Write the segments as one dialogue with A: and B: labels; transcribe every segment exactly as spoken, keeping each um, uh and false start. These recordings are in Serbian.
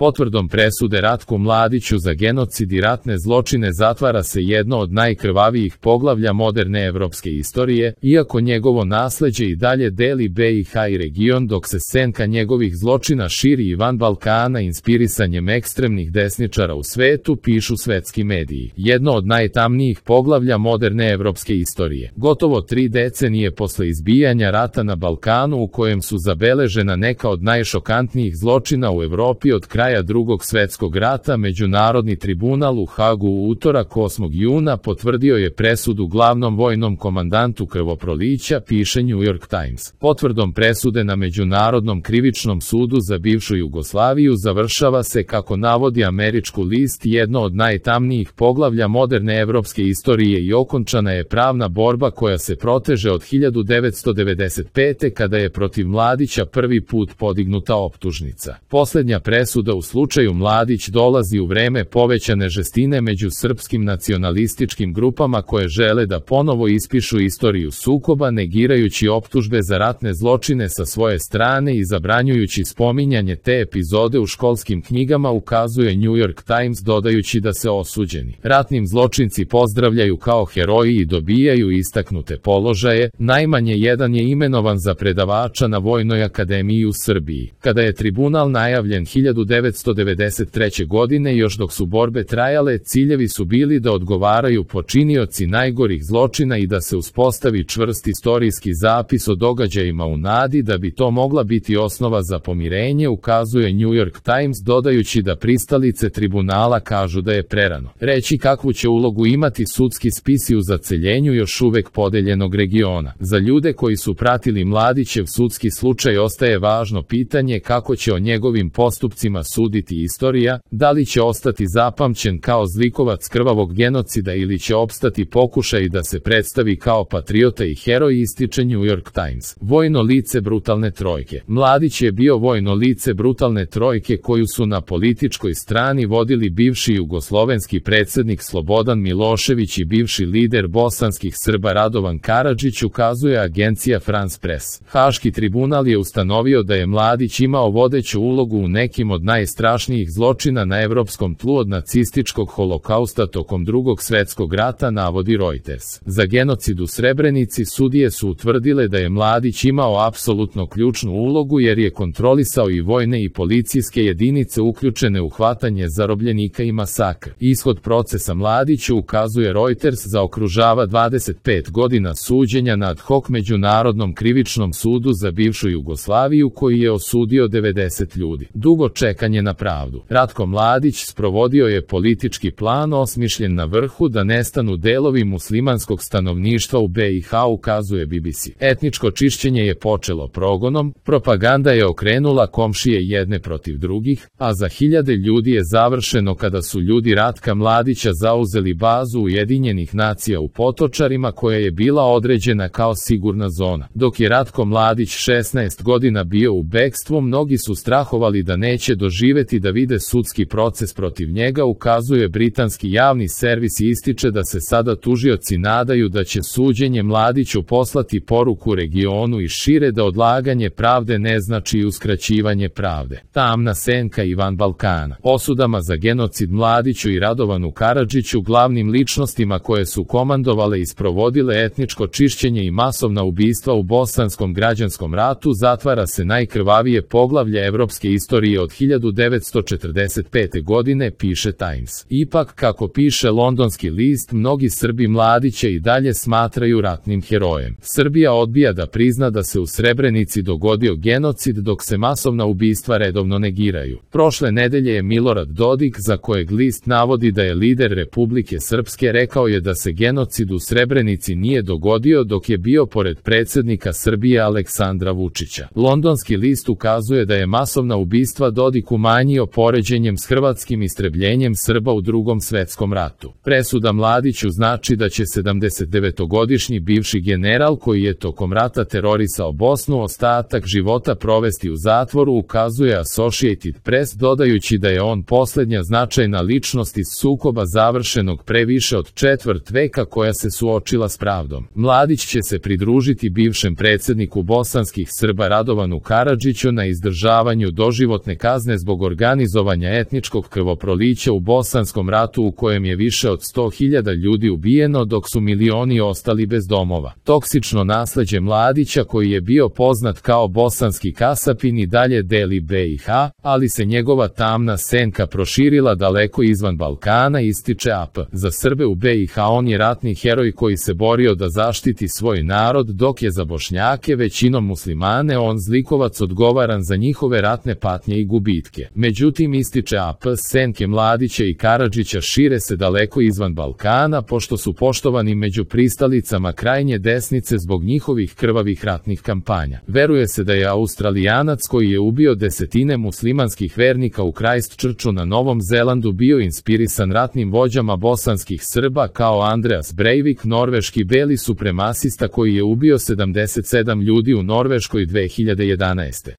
A: Potvrdom presude Ratku Mladiću za genocid i ratne zločine zatvara se jedno od najkrvavijih poglavlja moderne evropske istorije, iako njegovo nasleđe i dalje deli B i H i region, dok se senka njegovih zločina širi i van Balkana inspirisanjem ekstremnih desničara u svetu, pišu svetski mediji. Jedno od najtamnijih poglavlja moderne evropske istorije. Gotovo tri decenije posle izbijanja rata na Balkanu, u kojem su zabeležena neka od najšokantnijih zločina u Evropi od kraja Drugog svetskog rata, Međunarodni tribunal u Hagu u utorak osmog juna potvrdio je presudu glavnom vojnom komandantu krvoprolića, piše New York Times. Potvrdom presude na Međunarodnom krivičnom sudu za bivšu Jugoslaviju završava se, kako navodi američku list, jedno od najtamnijih poglavlja moderne evropske istorije i okončana je pravna borba koja se proteže od hiljadu devetsto devedeset pete. kada je protiv Mladića prvi put podignuta optužnica. Poslednja presuda u slučaju Mladić dolazi u vreme povećane žestine među srpskim nacionalističkim grupama koje žele da ponovo ispišu istoriju sukoba, negirajući optužbe za ratne zločine sa svoje strane i zabranjujući spominjanje te epizode u školskim knjigama, ukazuje New York Times, dodajući da se osuđeni ratnim zločinci pozdravljaju kao heroji i dobijaju istaknute položaje. Najmanje jedan je imenovan za predavača na Vojnoj akademiji u Srbiji. Kada je tribunal najavljen hiljadu devetsto devedeset treće. godine, još dok su borbe trajale, ciljevi su bili da odgovaraju počinioci najgorih zločina i da se uspostavi čvrst istorijski zapis o događajima u nadi da bi to mogla biti osnova za pomirenje, ukazuje New York Times, dodajući da pristalice tribunala kažu da je prerano reći kakvu će ulogu imati sudski spisi u zaceljenju još uvek podeljenog regiona. Za ljude koji su pratili Mladićev sudski slučaj ostaje važno pitanje kako će o njegovim postupcima suditi istorija, da li će ostati zapamćen kao zlikovac krvavog genocida ili će opstati pokušaj da se predstavi kao patriota i heroj, ističe New York Times. Vojno lice brutalne trojke. Mladić je bio vojno lice brutalne trojke koju su na političkoj strani vodili bivši jugoslovenski predsednik Slobodan Milošević i bivši lider bosanskih Srba Radovan Karadžić, ukazuje agencija France Press. Haški tribunal je ustanovio da je Mladić imao vodeću ulogu u nekim od najstrašnijih zločina na evropskom tlu od nacističkog holokausta tokom Drugog svetskog rata, navodi Reuters. Za genocid u Srebrenici sudije su utvrdile da je Mladić imao apsolutno ključnu ulogu jer je kontrolisao i vojne i policijske jedinice uključene u hvatanje zarobljenika i masakr. Ishod procesa Mladiću, ukazuje Reuters, zaokružava dvadeset pet godina suđenja na ad hoc Međunarodnom krivičnom sudu za bivšu Jugoslaviju koji je osudio devedeset ljudi. Dugo čekanje na pravdu. Ratko Mladić sprovodio je politički plan osmišljen na vrhu da nestanu delovi muslimanskog stanovništva u B i H, ukazuje B B C. Etničko čišćenje je počelo progonom, propaganda je okrenula komšije jedne protiv drugih, a za hiljade ljudi je završeno kada su ljudi Ratka Mladića zauzeli bazu Ujedinjenih nacija u Potočarima koja je bila određena kao sigurna zona. Dok je Ratko Mladić šesnaest godina bio u bekstvu, mnogi su strahovali da neće doživeti da vide sudski proces protiv njega, ukazuje britanski javni servis i ističe da se sada tužioci nadaju da će suđenje Mladiću poslati poruku regionu i šire da odlaganje pravde ne znači uskraćivanje pravde. Tamna senka i van Balkana. Osudama za genocid Mladiću i Radovanu Karadžiću, glavnim ličnostima koje su komandovale i sprovodile etničko čišćenje i masovna ubistva u bosanskom građanskom ratu, zatvara se najkrvavije poglavlje evropske istorije od hiljadu devetsto četrdeset pete. godine, piše Times. Ipak, kako piše londonski list, mnogi Srbi Mladića i dalje smatraju ratnim herojem. Srbija odbija da prizna da se u Srebrenici dogodio genocid, dok se masovna ubistva redovno negiraju. Prošle nedelje je Milorad Dodik, za kojeg list navodi da je lider Republike Srpske, rekao je da se genocid u Srebrenici nije dogodio dok je bio pored predsjednika Srbije Aleksandra Vučića. Londonski list ukazuje da je masovna ubistva Dodik umanjio poređenjem s hrvatskim istrebljenjem Srba u Drugom svetskom ratu. Presuda Mladiću znači da će sedamdesetdevetogodišnji bivši general koji je tokom rata terorisao Bosnu ostatak života provesti u zatvoru, ukazuje Associated Press, dodajući da je on posljednja značajna ličnost iz sukoba završenog pre više od četvrt veka koja se suočila s pravdom. Mladić će se pridružiti bivšem predsjedniku bosanskih Srba Radovanu Karadžiću na izdržavanju doživotne kazne zbog zbog organizovanja etničkog krvoprolića u Bosanskom ratu u kojem je više od sto hiljada ljudi ubijeno dok su milioni ostali bez domova. Toksično nasleđe Mladića koji je bio poznat kao bosanski kasapin i dalje deli B i H, ali se njegova tamna senka proširila daleko izvan Balkana, ističe A P. Za Srbe u B i H on je ratni heroj koji se borio da zaštiti svoj narod, dok je za Bošnjake, većinom muslimane, on zlikovac odgovaran za njihove ratne patnje i gubitke. Međutim, ističe A P, senke Mladića i Karadžića šire se daleko izvan Balkana, pošto su poštovani među pristalicama krajnje desnice zbog njihovih krvavih ratnih kampanja. Veruje se da je Australijanac koji je ubio desetine muslimanskih vernika u Christchurchu na Novom Zelandu bio inspirisan ratnim vođama bosanskih Srba kao Andreas Breivik, norveški beli supremasista koji je ubio sedamdeset sedam ljudi u Norveškoj dve hiljade jedanaeste.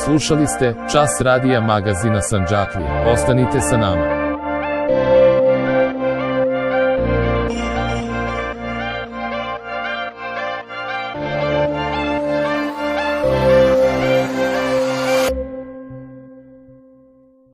A: Slušali ste Čas radija magazina Sandžaklija. Ostanite sa nama.